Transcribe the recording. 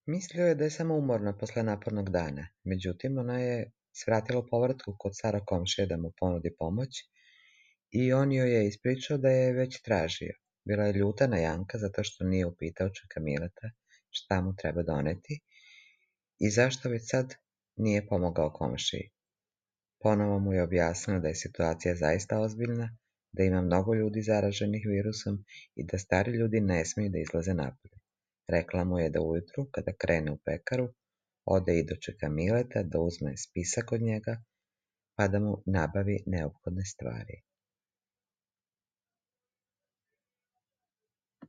Mislio je da je samo umorna posle napornog dana, međutim ona je svratila u povratku kod starog komšije da mu ponudi pomoć i on joj je ispričao da je već tražio. Bila je ljuta na Janka zato što nije upitao čeka Mileta šta mu treba doneti i zašto već sad nije pomogao komšiji. Ponovo mu je objasnila da je situacija zaista ozbiljna, da ima mnogo ljudi zaraženih virusom i da stari ljudi ne smiju da izlaze napolje. Rekla mu je da ujutru, kada krene u pekaru, ode i dočeka Mileta, da uzme spisak od njega, pa da mu nabavi neophodne stvari.